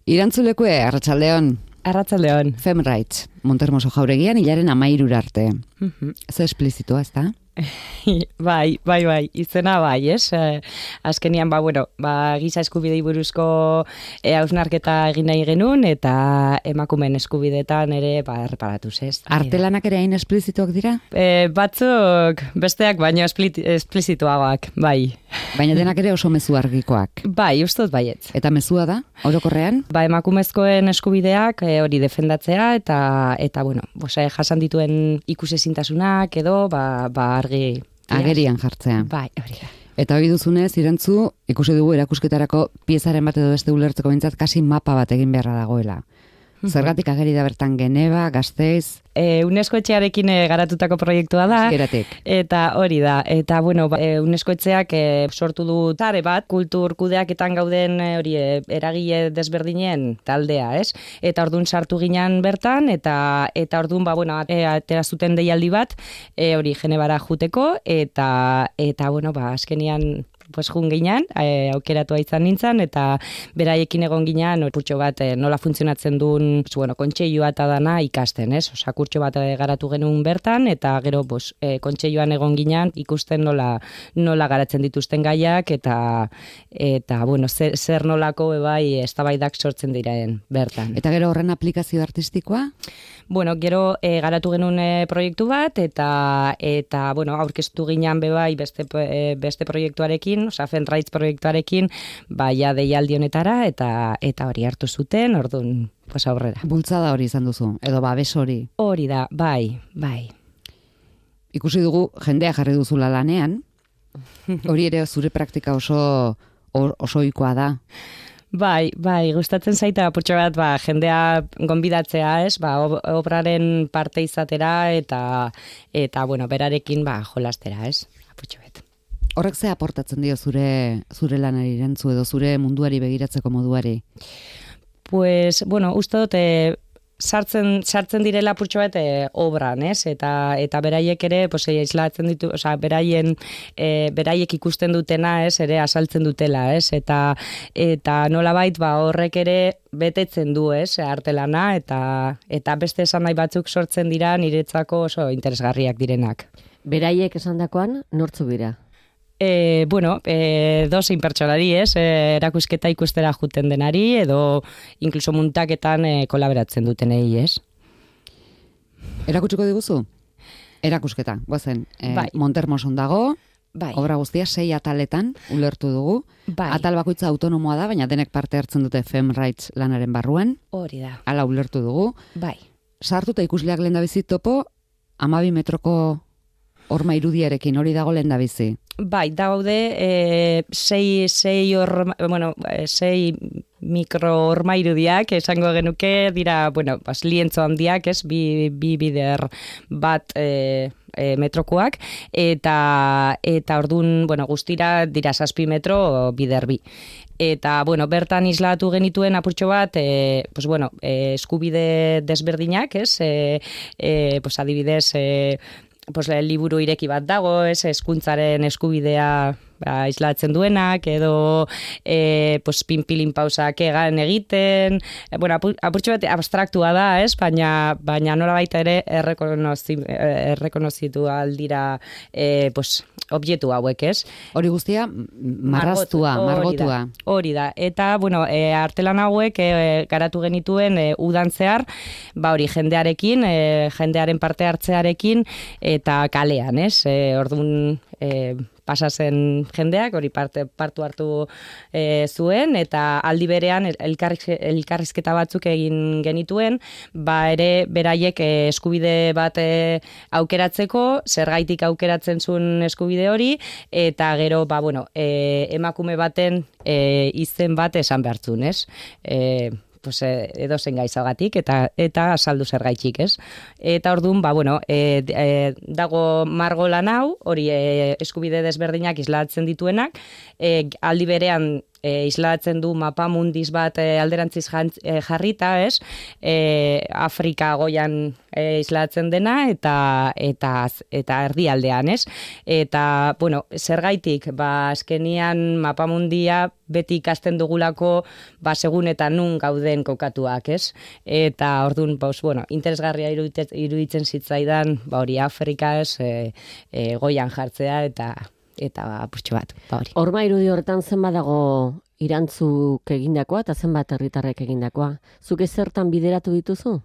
Irantzulekue, Arratsaldeon. Arratsaldeon. Femrights, Montermoso jauregian, hilaren 13 arte. Ze esplizitua, ez da? Bai, izena bai, ez? Azkenian, giza eskubidei buruzko hausnarketa egin nahi genuen, eta emakumeen eskubideetan ere, erreparatuz, ez? Artelanak ere hain esplizituak dira? Batzuk besteak baino esplizituagoak, bai. Baina denak ere oso mezu argikoak. Bai, ustot baietz. Eta mezua da, orokorrean? Emakumezkoen eskubideak hori defendatzea, eta jasan dituen ikusezintasunak edo, argi... Agerian jartzea. Bai, hori da. Eta hori duzunez, Irantzu, ikusi dugu erakusketarako piezaren bat edo beste ulertzeko bintzat kasi mapa bat egin beharra dagoela. Zergatik ageri da bertan Geneva, Gasteiz... UNESCO etxearekin garatutako proiektua da. Euskeratik. Eta hori da. Eta, UNESCO etxeak sortu du tare bat, kultur kudeaketan gauden eragile desberdinen taldea, ez? Eta orduan sartu ginen bertan, eta orduan, atera zuten deialdi bat, Genebara juteko, eta azkenian... jun ginean, aukeratua izan nintzen, eta beraiekin egon ginean, kurtso bat nola funtzionatzen duen, kontseilua eta dana ikasten, ez? Osa, kurtso bat garatu genuen bertan, eta gero, kontseiluan egon ginean, ikusten nola garatzen dituzten gaiak, eta zer nolako eztabaidak sortzen diren bertan. Eta gero horren aplikazio artistikoa? Gero garatu genuen proiektu bat, eta aurkeztu ginean beste proiektuarekin, Femrights proiektuarekin, deialdi honetara, eta hori hartu zuten, orduan, aurrera. Bultzada hori izan duzu, edo babes hori? Hori da, bai. Ikusi dugu, jendea jarri duzula lanean, hori ere zure praktika oso ohikoa da. Bai, gustatzen zaita apurtxo bat, jendea gonbidatzea, ez, obraren parte izatera, eta berarekin, jolastera, ez, apurtxo bat. Horrek ze aportatzen dio zure lanari Irantzu edo zure munduari begiratzeko moduari? Uste dut, sartzen direla apurtxo bat obran, ez? Eta beraiek ere, islatzen ditu, beraiek ikusten dutena, ez? Ere asaltzen dutela, ez? Eta nolabait, horrek ere betetzen du, ez? Artelana, eta beste esan nahi batzuk sortzen dira niretzako oso interesgarriak direnak. Beraiek esandakoan, nortzu bira? Dozein pertsonari, ez? Erakusketa ikustera juten denari, edo inkluso muntaketan kolaboratzen dutenei, ez? Erakutsiko diguzu? Erakusketa, guazen. Montermoson dago, obra guztia 6 ataletan ulertu dugu. Atal bakoitza autonomoa da, baina denek parte hartzen dute Femrights lanaren barruan. Hori da. Hala ulertu dugu. Sartuta ikusleak lehendabizi topo, 12 metroko horma irudiarekin, hori dago lehendabizi. Daude 6 mikro horma irudiak, esango genuke, dira, lientzo handiak, ez, bi bider bat metrokoak, eta orduan, guztira dira 7 metro bider bi. Eta, bertan islatu genituen apurtxo bat, eskubide desberdinak, ez, adibidez, liburu ireki bat dago, ez, hezkuntzaren eskubidea islatzen duenak, edo pinpilin pausak egan egiten, apurtxo bat abstraktua da, ez, baina nola baita ere errekonozitu aldira objektu hauek, ez? Hori guztia margotua. Hori da. Eta, artelan hauek garatu genituen udan zehar, hori jendearekin, jendearen parte hartzearekin, eta kalean, ez? Orduan pasazen jendeak, hori partu hartu zuen, eta aldi berean elkarrizketa batzuk egin genituen, ere beraiek eskubide bat aukeratzeko, zergaitik aukeratzen zuen eskubide hori, eta gero, emakume baten izen bat esan behartzun, ez? Edo zen gaizagatik, eta asaldu zergaitxik, ez? Eta orduan, dago margolan hau, hori eskubide desberdinak islatzen dituenak, aldi berean islatzen du mapamundiz bat alderantziz jarrita, ez? Afrika goian islatzen dena eta erdialdean, ez? Eta, bueno, zergaitik, azkenian mapamundia beti ikasten dugulako segun eta nun gauden kokatuak, ez? Eta orduan, bueno, interesgarria iruditzen zitzaidan, hori Afrika, ez, goian jartzea eta apurtxo bat, hori. Horma irudi horretan zenbat dago irantzuk egindakoa eta zenbat herritarrek egindakoa. Zuk ezertan bideratu dituzu?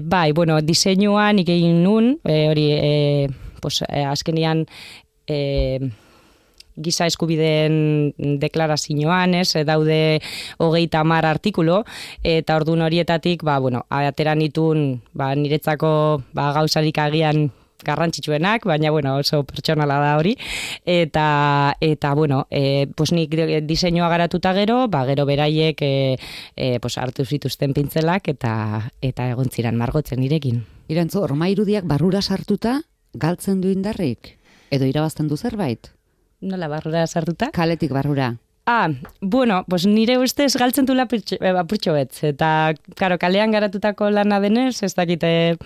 Bai, bueno, diseinuan egin nun, hori, azkenian giza eskubideen deklarazioan, ez, daude 30 artikulu, eta ordun horietatik, atera nituen, niretzako gauzarik agian garrantzitsuenak, baina, oso pertsonala da hori, eta nik diseinua garatuta gero beraiek hartu zituzten pintzelak, eta egon ziren margotzen nirekin. Irantzu, horma irudiak barrura sartuta, galtzen du indarrik? Edo irabazten du zerbait? Nola barrura sartuta? Kaletik barrura. Nire ustez galtzen dula apurtxo betz, eta, kalean garatutako lana denez, ez dakite,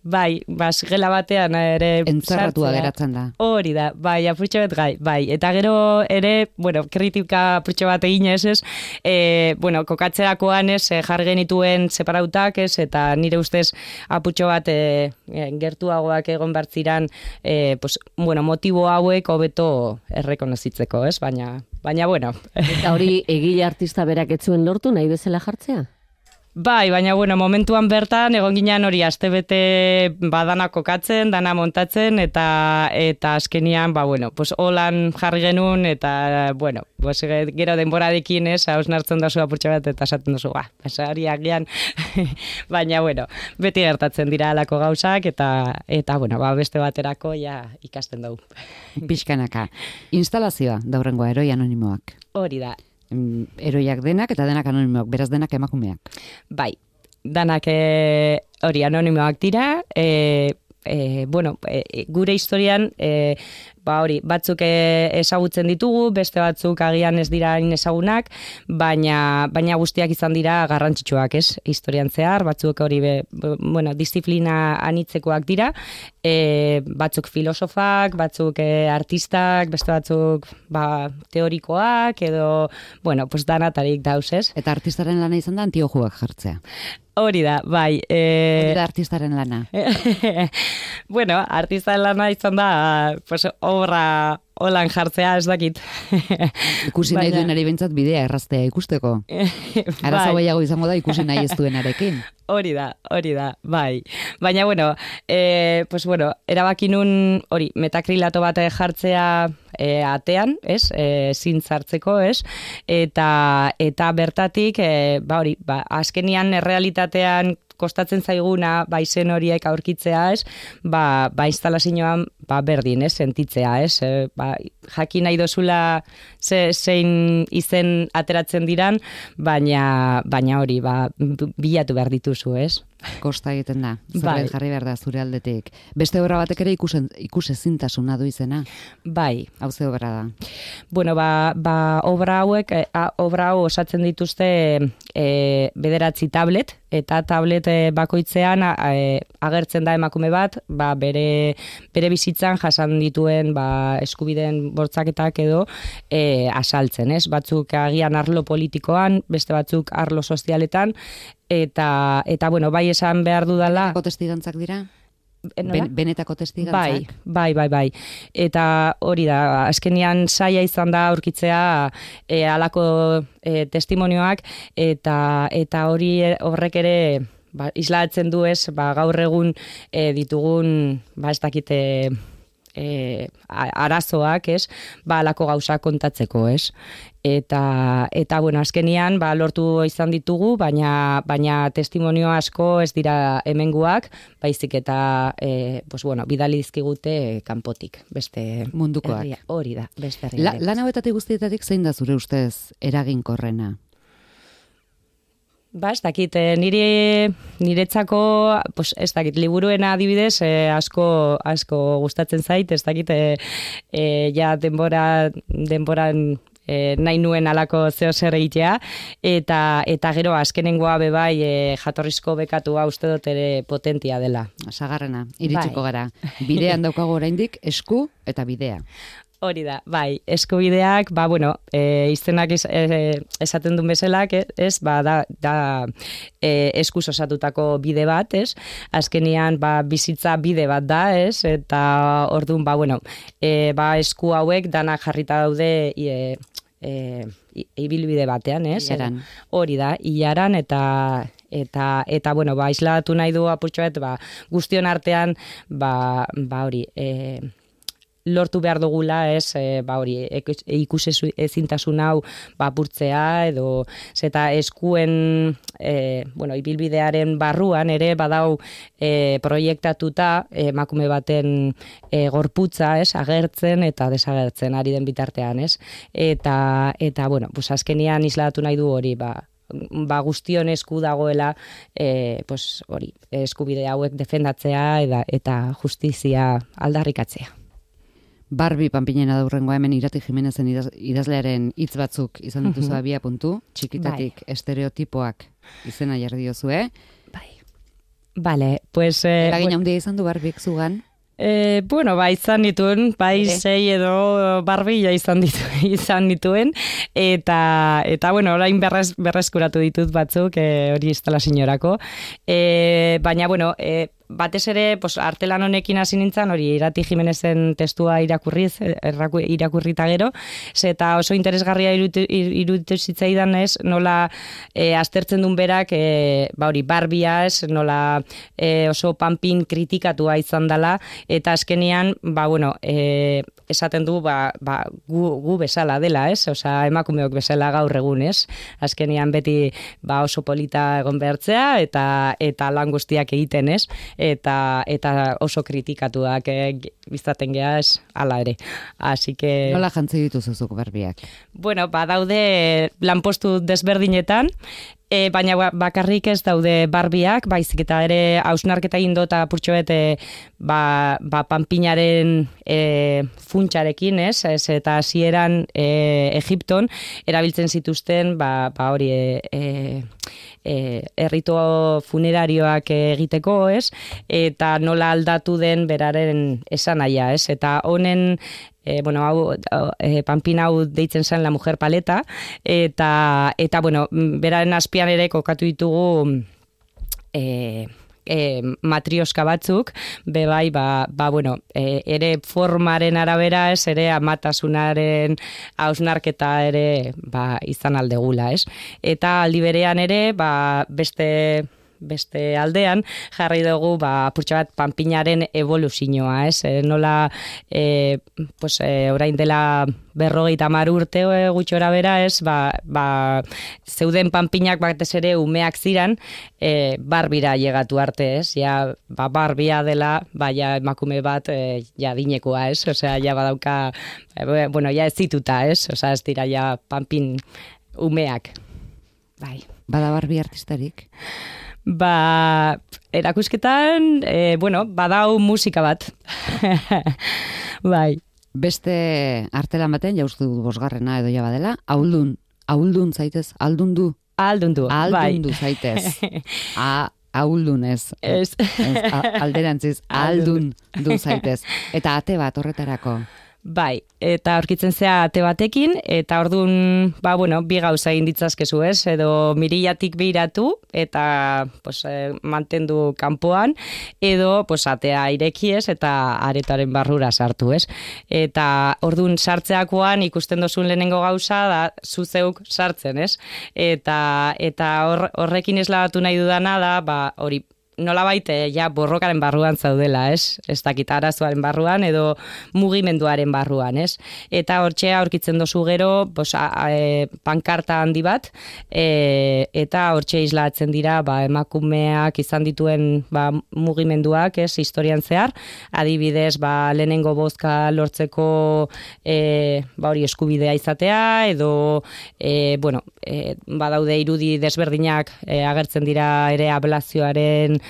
gela batean ere entzarratua geratzen da. Hori da, apurtxo bet bai. Eta gero ere, kritika apurtxo bat eginez, ez, kokatzerakoan, ez, jarri genituen separautak, ez, eta nire ustez apurtxo bat gertuagoak egon bartziran, motibo hauek hobeto errekonozitzeko, ez, baina, bueno. Eta hori egile artista berak ez zuen lortu nahi bezala jartzea? Bai, baina, momentuan bertan, egon ginen hori astebete dana kokatzen, dana montatzen, eta azkenian, holan jarri genuen, eta, gero denboradekin, ez, hausnartzen dozu apurtxo bat, eta esaten dozu, hori agian, baina, beti gertatzen dira alako gauzak, eta beste baterako ikasten dugu. Pixkanaka. Instalazioa, daurrengoa, heroi anonimoak. Hori da. Heroiak denak eta denak anonimoak, beraz denak emakumeak. Bai, denak hori anonimoak dira, gure historian, batzuk ezagutzen ditugu, beste batzuk agian ez dira ezagunak, baina guztiak izan dira garrantzitsuak, ez? Historian zehar, batzuk hori disiplina anitzekoak dira, batzuk filosofak, batzuk artistak, beste batzuk teorikoak, edo, danatarik dauz, ez? Eta artistaren lana izan da antiojuak jartzea. Hori da, bai. Hori da artistaren lana. Artistaren lana izan da, obra holan jartzea, ez dakit. Ikusi nahi duen ere bentsat bidea erraztea ikusteko. Arazo gehiago izango da ikusi nahi ez duenarekin. Hori da, bai. Baina, erabaki nun, metakrilato bat jartzea atean, ez, zintzartzeko, ez, eta bertatik, azkenian errealitatean kostatzen zaiguna, izen horiek aurkitzea, ez, instalazioan, berdin, ez, sentitzea, ez, jakin nahi dozula zein izen ateratzen diran, baina hori, bilatu behar dituzu, ez? Kosta egiten da, zerbait jarri behar da zure aldetik. Beste obra batek ere ikusezintasuna du izena? Bai. Hau ze obra da? Obra hauek, obra hau osatzen dituzte 9 tablet, eta tablet bakoitzean agertzen da emakume bat, bere bizitzan jasan dituen eskubideen bortzaketak edo asaltzen, ez? Batzuk agian arlo politikoan, beste batzuk arlo sozialetan, eta bai esan behar dudala. Benetako testigantzak dira? Benetako testigantzak? Bai. Eta hori da, azkenian saia izan da aurkitzea halako testimonioak, eta horrek ere islatzen du, ez, gaur egun ditugun, ez dakite, arazoak, ez, alako gauza kontatzeko, ez. Eta azkenian, lortu izan ditugu, baina testimonio asko ez dira hemenguak, baizik eta, bidali dizkigute kanpotik, beste mundukoak. Hori da, beste herrialde. Lan hauetatik guztietatik zein da zure ustez eraginkorrena? Ez dakit, niretzako, ez dakit, liburuena adibidez, asko gustatzen zait, ez dakit, denboran nahi nuen alako zeo zer egitea, eta gero azkenengoa bebai jatorrizko bekatua uste dut ere potentia dela. Sagarrena, iritsiko gara. Bidean daukago oraindik esku eta bidea. Hori da, bai, eskubideak, izenak esaten duen bezalak, da eskuz osatutako bide bat, ez? Azkenian, bizitza bide bat da, ez? Eta orduan, esku hauek danak jarrita daude ibilbide batean, ez? Ilaran. Hori da, ilaran eta isladatu nahi du apurtxoet, guztion artean, hori, lortu behar dugula, ez, ikus ezintasun hau apurtzea, edo zeta eskuen ibilbidearen barruan ere badau proiektatuta emakume baten gorputza, ez, agertzen eta desagertzen ari den bitartean, ez, eta azkenian isladatu nahi du hori, guztion esku dagoela hori, eskubide hauek defendatzea eta justizia aldarrikatzea. Barbie Panpinena daurrengoa hemen Irati Jimenezen idazlearen hitz batzuk izan dituzu abia puntu, txikitatik estereotipoak izena jarri diozue. Bai. Vale, pues... Eragin handia izan du Barbiek zugan? Izan dituen, sei edo Barbie izan dituen, eta orain berreskuratu ditut batzuk, hori instalazioarako. Baina, batez ere, artelan honekin hasi nintzen, hori Irati Jimenezen testua irakurrita gero, eta oso interesgarria iruditu zitzaidan ez, nola aztertzen duen berak, hori Barbia ez, nola oso panpin kritikatua izan dela, eta azkenean, esaten du, gu bezala dela, ez? Osa, emakumeok bezala gaur egun, ez? Azkenean beti oso polita egon behartzea, eta lan guztiak egiten, ez? Eta oso kritikatuak bizaten geha, ez? Hala ere. Así que... Nola jantzi dituzuzuk Barbiak? Daude lanpostu desberdinetan, baina bakarrik ez daude Barbiak, baizik eta ere hausnarketa egin dut apurtxoet panpinaren funtsarekin, ez? Eta hasieran Egipton erabiltzen zituzten hori errito funerarioak egiteko, ez? Eta nola aldatu den beraren esanahia, ez? Eta honen panpin hau deitzen zen La Mujer Paleta, eta beraren azpian ere kokatu ditugu matrioska batzuk, bebai, ere formaren arabera, ez, ere amatasunaren hausnarketa ere, izan aldegula, ez. Eta aldi berean ere, beste aldean, jarri dugu, apurtxo bat, panpinaren evoluzioa, ez? Nola, orain dela 50 urte gutxora bera, ez? Zeuden panpinak batez ere umeak ziran, Barbira llegatu arte, ez? Ja, Barbia dela, ja emakume bat, ja dinekoa, ez? Osea, ja badauka, ja ez zituta, ez? Osea, ez dira ja panpin umeak. Bai. Bada Barbie artistarik? Erakusketan, badau musika bat. Bai. Beste artelan baten, jaustu bosgarrena edo ja badela, auldun zaitez, aldundu? Aldundu, bai. Aldundu zaitez. Auldunez. Alderantziz, aldundu zaitez. Eta ate bat horretarako? Bai, eta aurkitzen zea ate batekin, eta orduan, bi gauza egin ditzazkezu, ez? Edo mirillatik behiratu, eta mantendu kanpoan, edo atea ireki, ez? Eta aretaren barrura sartu, ez? Eta orduan sartzeakoan ikusten dozun lehenengo gauza, da zuzeuk sartzen, ez? Eta horrekin eslabatu nahi dudana da, hori, nolabait ja borrokaren barruan zaudela, ez? Ez dakit arazoaren barruan edo mugimenduaren barruan, ez? Eta hortxe aurkitzen dozu gero, pankarta handi bat, eta hortxe islatzen dira, emakumeak izan dituen mugimenduak, ez? Historian zehar, adibidez, lehenengo bozka lortzeko hori eskubidea izatea, edo badaude irudi desberdinak agertzen dira ere ablazioaren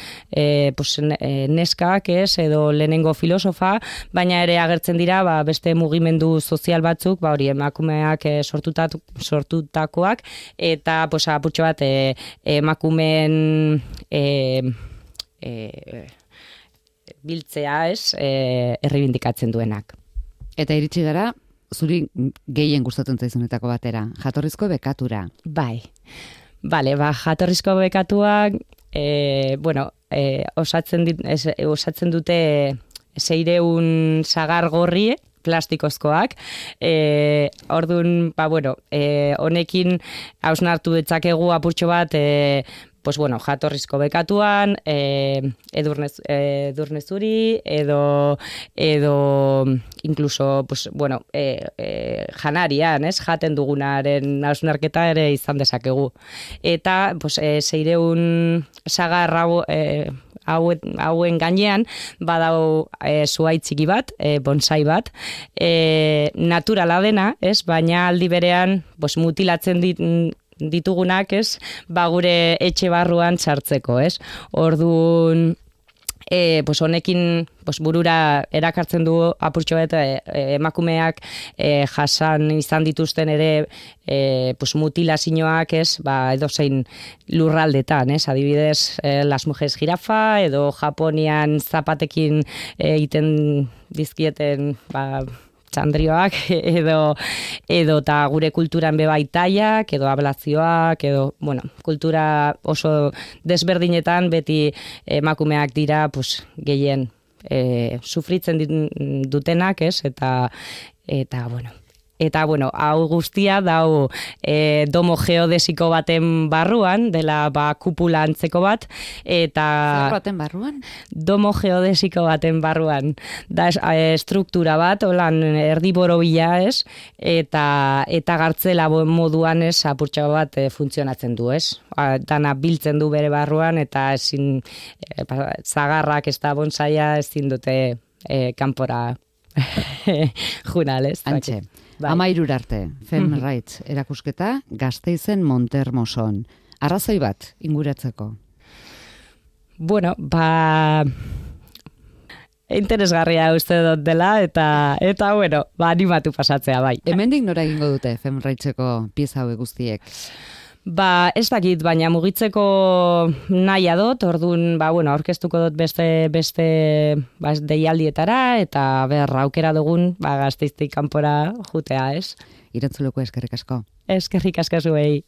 neskak, edo lehenengo filosofa, baina ere agertzen dira beste mugimendu sozial batzuk, hori emakumeak sortutakoak, eta apurtxo bat emakumeen biltzea, errebindikatzen duenak. Eta iritsi gara, zuri gehien gustatzen zaizunetako batera, jatorrizko bekatura. Bai. Bale, jatorrizko bekatuak, osatzen dute 600 sagar gorri, plastikozkoak. Orduan, honekin hausnartu ditzakegu apurtxo bat, jatorrizko bekatuan, edurne zuri, edo incluso, janarian, jaten dugunaren hausnarketa ere izan dezakegu. Eta, 600 sagar hauen gainean, badau zuaitziki bat, bonsai bat, naturala dena, baina aldi berean mutilatzen ditugunak, gure etxe barruan txartzeko, Orduan, honekin burura erakartzen du apurtxo eta emakumeak jasan izan dituzten ere mutilazioak, edozein lurraldetan, Adibidez, Las Mujeres Jirafa, edo Japonian zapatekin egiten dizkieten txandrioak, edo eta gure kulturan bebaitaiak, edo ablazioak, edo, kultura oso desberdinetan beti emakumeak dira, gehien sufritzen dutenak, Eta, hau guztia dau domo geodesiko baten barruan, dela kupula antzeko bat, eta... Zer baten barruan? Domo geodesiko baten barruan. Da struktura bat, holan erdiboro bila, eta gartzela moduan, apurtxo bat funtzionatzen du, Dana biltzen du bere barruan, eta ezin zagarrak ez da bonsaia ezin dute kanpora junal, Antxe. 13 arte, Fem Rights erakusketa, Gasteizen Montermoson. Arrazoi bat, inguratzeko? Interesgarria uste dut dela, eta animatu pasatzea, bai. Hemendik nora egingo dute Fem Rightseko pieza hauek guztiek? Ez dakit, baina mugitzeko nahia dut, orduan, aurkeztuko dut beste deialdietara, eta aukera dugun, Gasteiztik kanpora jutea, Irantzuleko eskerrik asko. Eskerrik asko zuei.